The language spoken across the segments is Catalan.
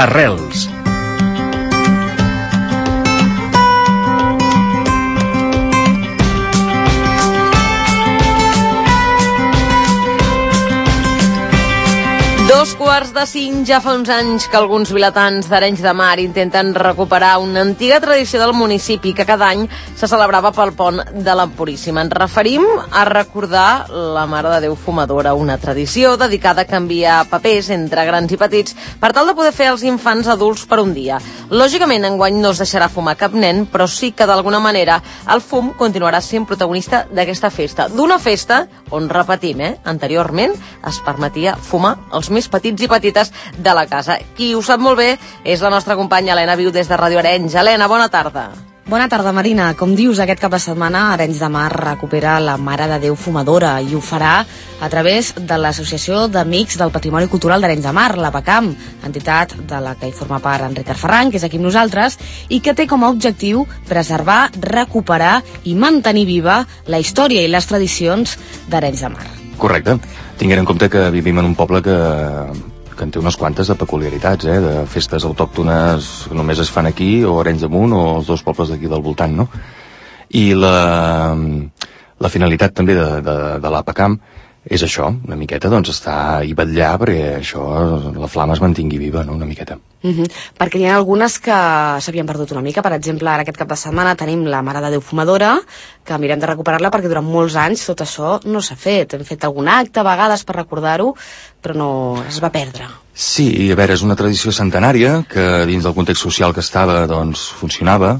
Arrels. Dos quarts de 5, ja fa uns anys que alguns vilatans d'Arenys de Mar intenten recuperar una antiga tradició del municipi que cada any se celebrava pel pont de la Puríssima. Ens referim a recordar la Mare de Déu Fumadora, una tradició dedicada a canviar papers entre grans i petits per tal de poder fer els infants adults per un dia. Lògicament, enguany no es deixarà fumar cap nen, però sí que d'alguna manera el fum continuarà sent protagonista d'aquesta festa. D'una festa on, repetim, anteriorment es permetia fumar els més petits i petites de la casa. Qui ho sap molt bé és la nostra companya Helena Viu des de Ràdio Arenys. Helena, bona tarda. Bona tarda, Marina. Com dius, aquest cap de setmana Arenys de Mar recupera la Mare de Déu Fumadora i ho farà a través de l'Associació d'Amics del Patrimoni Cultural d'Arenys de Mar, la PACAM, entitat de la que hi forma part Enric Arferran, que és aquí amb nosaltres, i que té com a objectiu preservar, recuperar i mantenir viva la història i les tradicions d'Arenys de Mar. Correcte. Tinguem en compte que vivim en un poble que en té unes quantes de peculiaritats, de festes autòctones que només es fan aquí, o Arenys de Munt, o els dos pobles d'aquí del voltant, no? I la finalitat també de l'APACAM és això, una miqueta, doncs, estar i vetllar perquè això, la flama es mantingui viva, no?, una miqueta. Perquè n'hi ha algunes que s'havien perdut una mica. Per exemple, ara aquest cap de setmana tenim la Mare de Déu Fumadora, que mirem de recuperar-la perquè durant molts anys tot això no s'ha fet. Hem fet algun acte a vegades per recordar-ho, però no es va perdre. Sí, a veure, és una tradició centenària que dins del context social que estava, doncs, funcionava,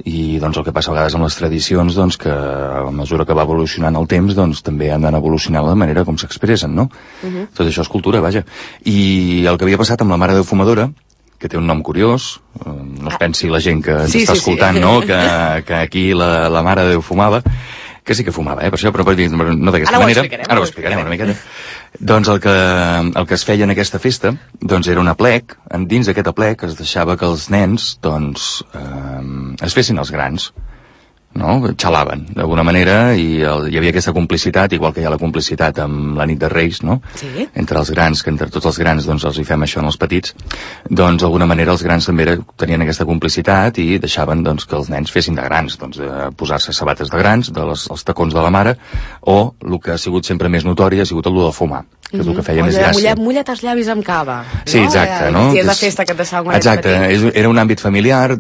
i doncs el que passa a vegades amb les tradicions, doncs, que a mesura que va evolucionant el temps, doncs també han d'anar evolucionant la manera com s'expressen, no? Tot això és cultura, vaja. I el que havia passat amb la Mare de Déu Fumadora, que té un nom curiós, no es pensi la gent que ens està escoltant, no?, que aquí la Mare de Déu fumava, que sí que fumava, per això, però no d'aquesta manera. Ara ho explicarem una miqueta. Doncs el que es feia en aquesta festa, doncs era un aplec, dins d'aquest aplec es deixava que els nens, doncs, es fessin els grans, no? Xalaven, d'alguna manera, i hi havia aquesta complicitat, igual que hi ha la complicitat amb la nit de Reis, no? Sí. Entre els grans, que entre tots els grans, doncs, els hi fem això en els petits, doncs, d'alguna manera, els grans també tenien aquesta complicitat i deixaven, doncs, que els nens fessin de grans, doncs, de posar-se sabates de grans, els tacons de la mare, o el que ha sigut sempre més notori ha sigut el de fumar, que és el que feia més gràcia. Mulla't els llavis amb cava. Sí, exacte, no? Si és la festa que et deixava quan exacte, era un àmbit familiar,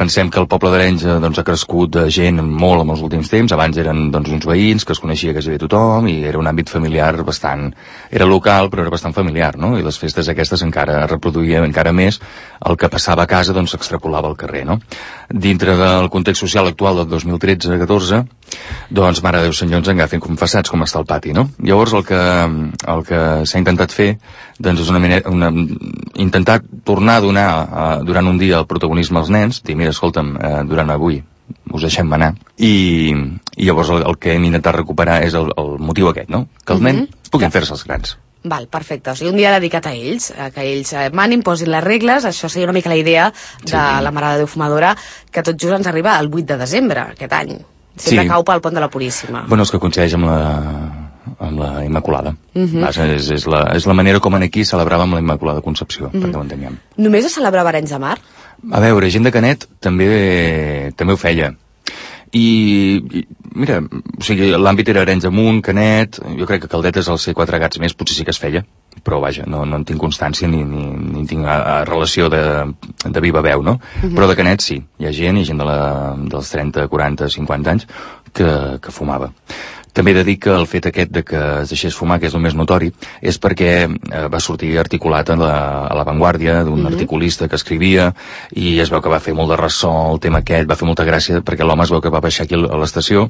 pensem que el poble d'Arenys, doncs, ha crescut de gent molt en els últims temps. Abans eren, doncs, uns veïns que es coneixia quasi bé tothom i era un àmbit familiar bastant... Era local, però era bastant familiar, no? I les festes aquestes encara reproduïen encara més el que passava a casa, doncs s'extrapolava al carrer, no? Dintre del context social actual del 2013-14, doncs, Mare de Déu Senyor, ens agafen confessats com està el pati, no? Llavors el que s'ha intentat fer, doncs, és intentar tornar a donar durant un dia el protagonisme als nens, dir, mira, escolta'm, durant avui us deixem anar, i llavors el que hem intentat recuperar és el motiu aquest, no? Que els nens puguin fer-se els grans. Val, perfecte. O sigui, un dia dedicat a ells, que ells manin, posin les regles. Això seria una mica la idea de la Mare de Déu Fumadora, que tot just ens arriba el 8 de desembre, aquest any. Sempre cau pel pont de la Puríssima. Bueno, és que coincideix amb la Immaculada. És la manera com aquí celebràvem la Immaculada Concepció, perquè ho enteníem. Només es celebrava Arenys de Mar? A veure, gent de Canet també ho feia. I mira, o sigui, l'àmbit era Arenys de Munt, Canet, jo crec que Caldetes, al ser 4 gats més, potser sí que es feia, però vaja, no en tinc constància ni tinc relació de viva veu, no? Però de Canet sí, hi ha gent dels 30, 40, 50 anys que fumava. També he de dir que el fet aquest de que es deixés fumar, que és el més notori, és perquè va sortir articulat a la Vanguardia d'un articulista que escrivia i es veu que va fer molt de ressò el tema aquest, va fer molta gràcia perquè l'home es veu que va baixar aquí a l'estació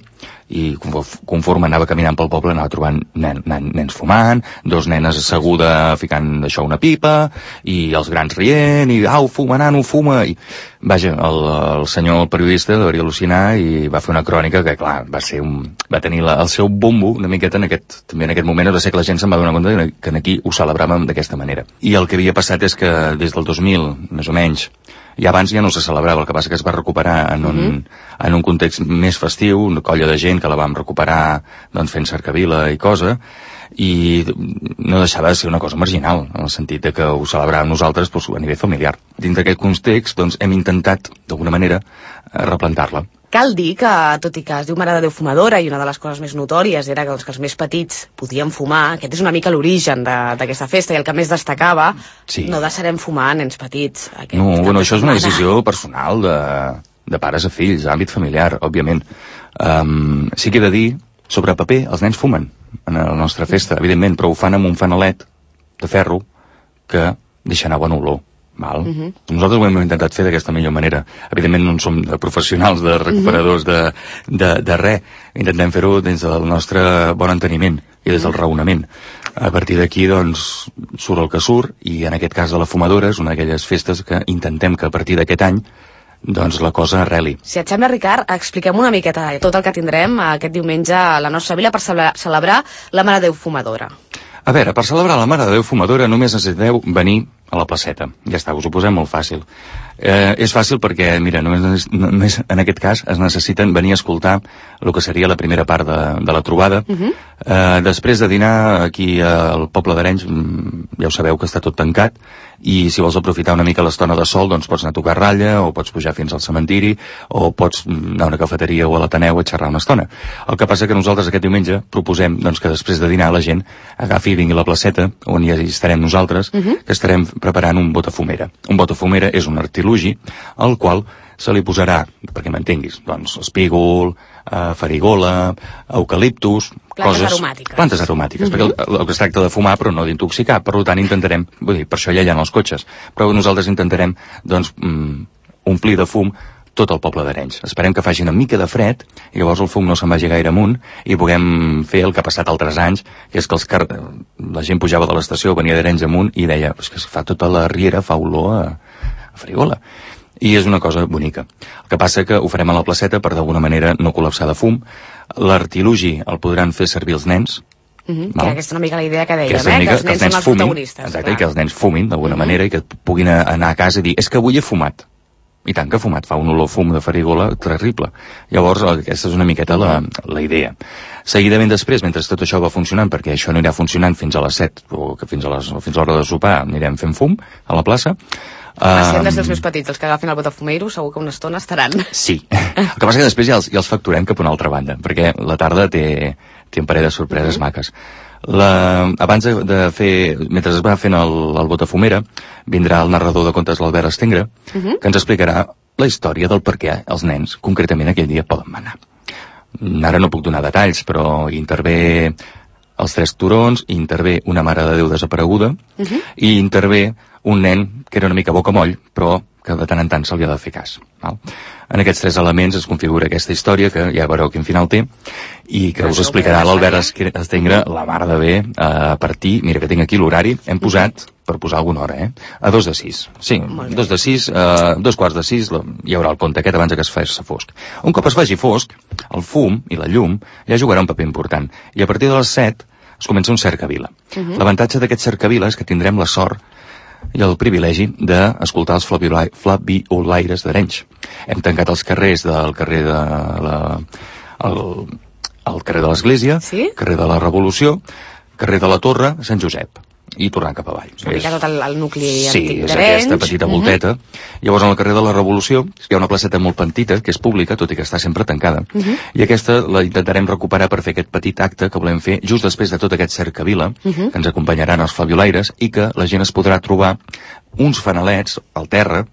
i conforme anava caminant pel poble anava trobant nens fumant, 2 nenes asseguda ficant això una pipa i els grans rient i au, fuma, nano, fuma i vaja, el senyor periodista devia al·lucinar i va fer una crònica que clar, va tenir el seu bombo una miqueta també en aquest moment va ser que la gent se'n va donar compte que aquí ho celebràvem d'aquesta manera. I el que havia passat és que des del 2000, més o menys, i abans ja no se celebrava, el que passa que es va recuperar en un context més festiu, una colla de gent que la vam recuperar doncs, fent cercavila i cosa, i no deixava de ser una cosa marginal, en el sentit de que ho celebràvem nosaltres doncs, a nivell familiar. Dins d'aquest context doncs, hem intentat, d'alguna manera, replantar-la. Cal dir que, tot i que es diu Mare de Déu Fumadora i una de les coses més notòries era que els més petits podien fumar, aquest és una mica l'origen d'aquesta festa i el que més destacava, no deixarem fumar nens petits. Això és una decisió personal de pares a fills, àmbit familiar, òbviament. Sí que he de dir, sobre paper, els nens fumen en la nostra festa, evidentment, però ho fan amb un fanalet de ferro que deixa anar bona olor. Nosaltres ho hem intentat fer d'aquesta millor manera. Evidentment no som professionals de recuperadors de res. Intentem fer-ho des del nostre bon enteniment i des del raonament. A partir d'aquí, doncs, surt el que surt, i en aquest cas de la fumadora és una d'aquelles festes que intentem que a partir d'aquest any doncs la cosa arreli. Si et sembla, Ricard, expliquem una miqueta tot el que tindrem aquest diumenge a la nostra vila per celebrar la Mare de Déu Fumadora. A veure, per celebrar la Mare de Déu Fumadora només necessiteu venir a la placeta. Ja està, us ho posem molt fàcil. És fàcil perquè, mira, només en aquest cas es necessiten venir a escoltar el que seria la primera part de la trobada. Després de dinar aquí al poble d'Arenys, ja ho sabeu que està tot tancat, i si vols aprofitar una mica l'estona de sol, doncs pots anar a tocar ratlla, o pots pujar fins al cementiri, o pots anar a una cafeteria o a l'Ateneu a xerrar una estona. El que passa que nosaltres aquest diumenge proposem doncs, que després de dinar la gent agafi i vingui a la placeta, on hi estarem nosaltres, que estarem preparant un botafumera. Un botafumera és un artilugi al qual se li posarà, perquè m'entenguis, doncs espígol, farigola, eucaliptus, plantes aromàtiques, perquè el que es tracta de fumar però no d'intoxicar, per tant intentarem, vull dir, per això ja hi ha els cotxes, però nosaltres intentarem doncs omplir de fum tot el poble d'Arenys. Esperem que faci una mica de fred i llavors el fum no se'n vagi gaire amunt i puguem fer el que ha passat altres anys, que és que la gent pujava de l'estació, venia d'Arenys amunt i deia, és que fa tota la riera, fa olor a farigola. I és una cosa bonica. El que passa que ho farem a la placeta per d'alguna manera no col·lapsar de fum. L'artilugi el podran fer servir els nens. Que aquesta és una mica la idea que dèiem, que els nens són els protagonistes. Exacte, i que els nens fumin d'alguna manera i que puguin anar a casa i dir, és que avui he fumat. I tant que ha fumat, fa un olor fum de farigola terrible. Llavors, aquesta és una miqueta la idea. Seguidament després, mentre tot això va funcionant, perquè això no anirà funcionant fins a les 7, o que fins a l'hora de sopar anirem fent fum a la plaça. Si han de ser els més petits, els que agafin el botafumeiro, segur que una estona estaran. Sí. El que passa que després ja els facturem cap a una altra banda, perquè la tarda té un parell de sorpreses maques. Abans de fer, mentre es va fent el botafumera, vindrà el narrador de contes, l'Albert Estengre, que ens explicarà la història del per què els nens, concretament aquell dia, poden manar. Ara no puc donar detalls, però intervé els 3 turons, intervé una Mare de Déu desapareguda, i intervé un nen que era una mica bocamoll, però que de tant en tant se li ha de fer cas. En aquests 3 elements es configura aquesta història, que ja veureu quin final té, i que us explicarà l'Albert Estengre, la mare de bé, a partir, mira que tinc aquí l'horari, hem posat, per posar alguna hora, a 2 de 6. Sí, 2 de 6, 2 quarts de 6, hi haurà el compte aquest abans que es faci fosc. Un cop es faci fosc, el fum i la llum ja jugarà un paper important, i a partir de les 7 es comença un cercavila. L'avantatge d'aquest cercavila és que tindrem la sort i el privilegi d'escoltar els flabiolaires d'Arenys. Hem tancat els carrers del carrer de el carrer de l'Església, carrer de la Revolució, carrer de la Torre, Sant Josep, i tornant cap avall. És una mica tot el nucli antic d'Arenys. Sí, és aquesta petita volteta. Llavors, al carrer de la Revolució hi ha una placeta molt petita, que és pública, tot i que està sempre tancada, i aquesta la intentarem recuperar per fer aquest petit acte que volem fer just després de tot aquest cercavila, que ens acompanyaran els flabiolaires, i que la gent es podrà trobar uns fanalets al terra,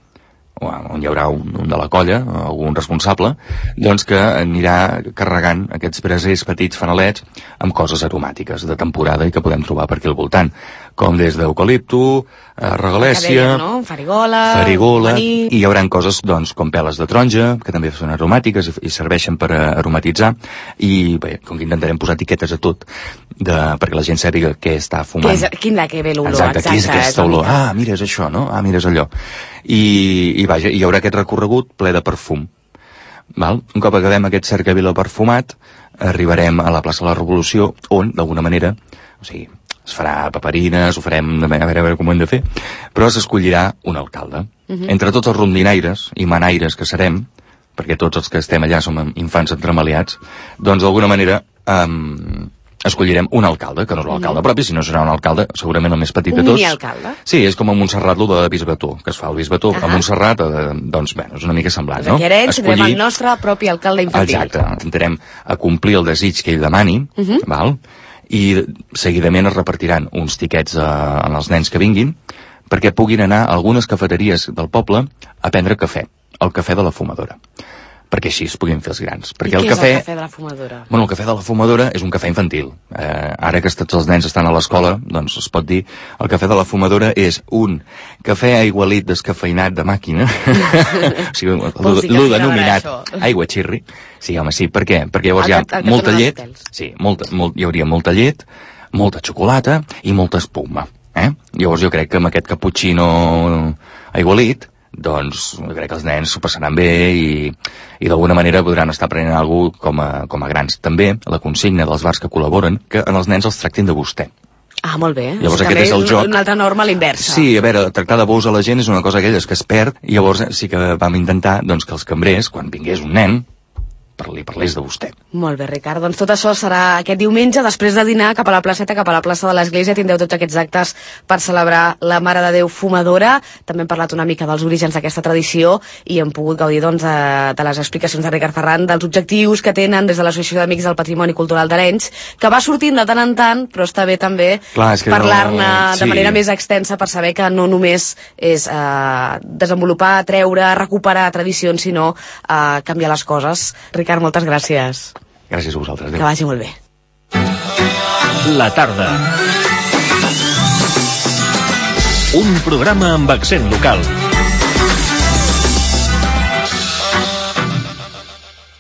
on hi haurà un de la colla, algun responsable, doncs que anirà carregant aquests brasers petits fanalets amb coses aromàtiques de temporada i que podem trobar per aquí al voltant, com des d'eucalipto, regalèssia, farigola, i hi haurà coses doncs, com peles de taronja, que també són aromàtiques i serveixen per aromatitzar, i bé, com que intentarem posar etiquetes a tot, perquè la gent sàpiga què està fumant. Quin de què ve l'olor, exacte. Què és aquesta olor? Mira, és això, no? Mira, és allò. I vaja, hi haurà aquest recorregut ple de perfum. Un cop acabem aquest cercavila perfumat, arribarem a la plaça de la Revolució, on, d'alguna manera, o sigui, es farà paperines, ho farem, a veure com ho hem de fer, però s'escollirà un alcalde. Entre tots els rondinaires i manaires que serem, perquè tots els que estem allà som infants entremaliats, doncs d'alguna manera escollirem un alcalde, que no és l'alcalde propi, sinó serà un alcalde segurament el més petit de tots. Un mini-alcalde? Sí, és com a Montserrat, lo de Bisbató, que es fa el Bisbató a Montserrat, doncs, bé, és una mica semblant, no? Aquí a Arenys tindrem el nostre propi alcalde infantil. Exacte, intentarem complir el desig que ell demani, val? I seguidament es repartiran uns tiquets als nens que vinguin perquè puguin anar a algunes cafeteries del poble a prendre cafè, el cafè de la fumadora, perquè així es puguin fer els grans. Perquè I què és el cafè de la fumadora? Bueno, el cafè de la fumadora és un cafè infantil. Ara que tots els nens estan a l'escola, doncs es pot dir, el cafè de la fumadora és un cafè aigualit descafeinat de màquina, o sigui, l'ho denominat aigua xirri. Sí, home, sí, per què? Perquè llavors hi ha molta llet, sí, hi hauria molta llet, molta xocolata i molta espuma. Llavors jo crec que amb aquest cappuccino aigualit, doncs jo crec que els nens s'ho passaran bé i d'alguna manera podran estar prenent alguna cosa com a grans. També la consigna dels bars que col·laboren, que en els nens els tractin de vostè. Ah, molt bé. Llavors aquest és el joc. Una altra norma a l'inversa. Sí, a veure, tractar de vos a la gent és una cosa aquelles que es perd, i llavors sí que vam intentar doncs, que els cambrers, quan vingués un nen, parlés de vostè. Molt bé, Ricard. Doncs tot això serà aquest diumenge, després de dinar, cap a la placeta, cap a la plaça de l'Església. Tindreu tots aquests actes per celebrar la Mare de Déu Fumadora. També hem parlat una mica dels orígens d'aquesta tradició i hem pogut gaudir doncs, de les explicacions de Ricard Ferran, dels objectius que tenen des de l'Associació d'Amics del Patrimoni Cultural d'Arenys, que va sortint de tant en tant, però està bé també parlar-ne de manera més extensa per saber que no només és desenvolupar, treure, recuperar tradicions, sinó canviar les coses. Ricard, moltes gràcies. Gràcies a vosaltres. Adéu. Que vagi molt bé. La tarda. Un programa amb accent local.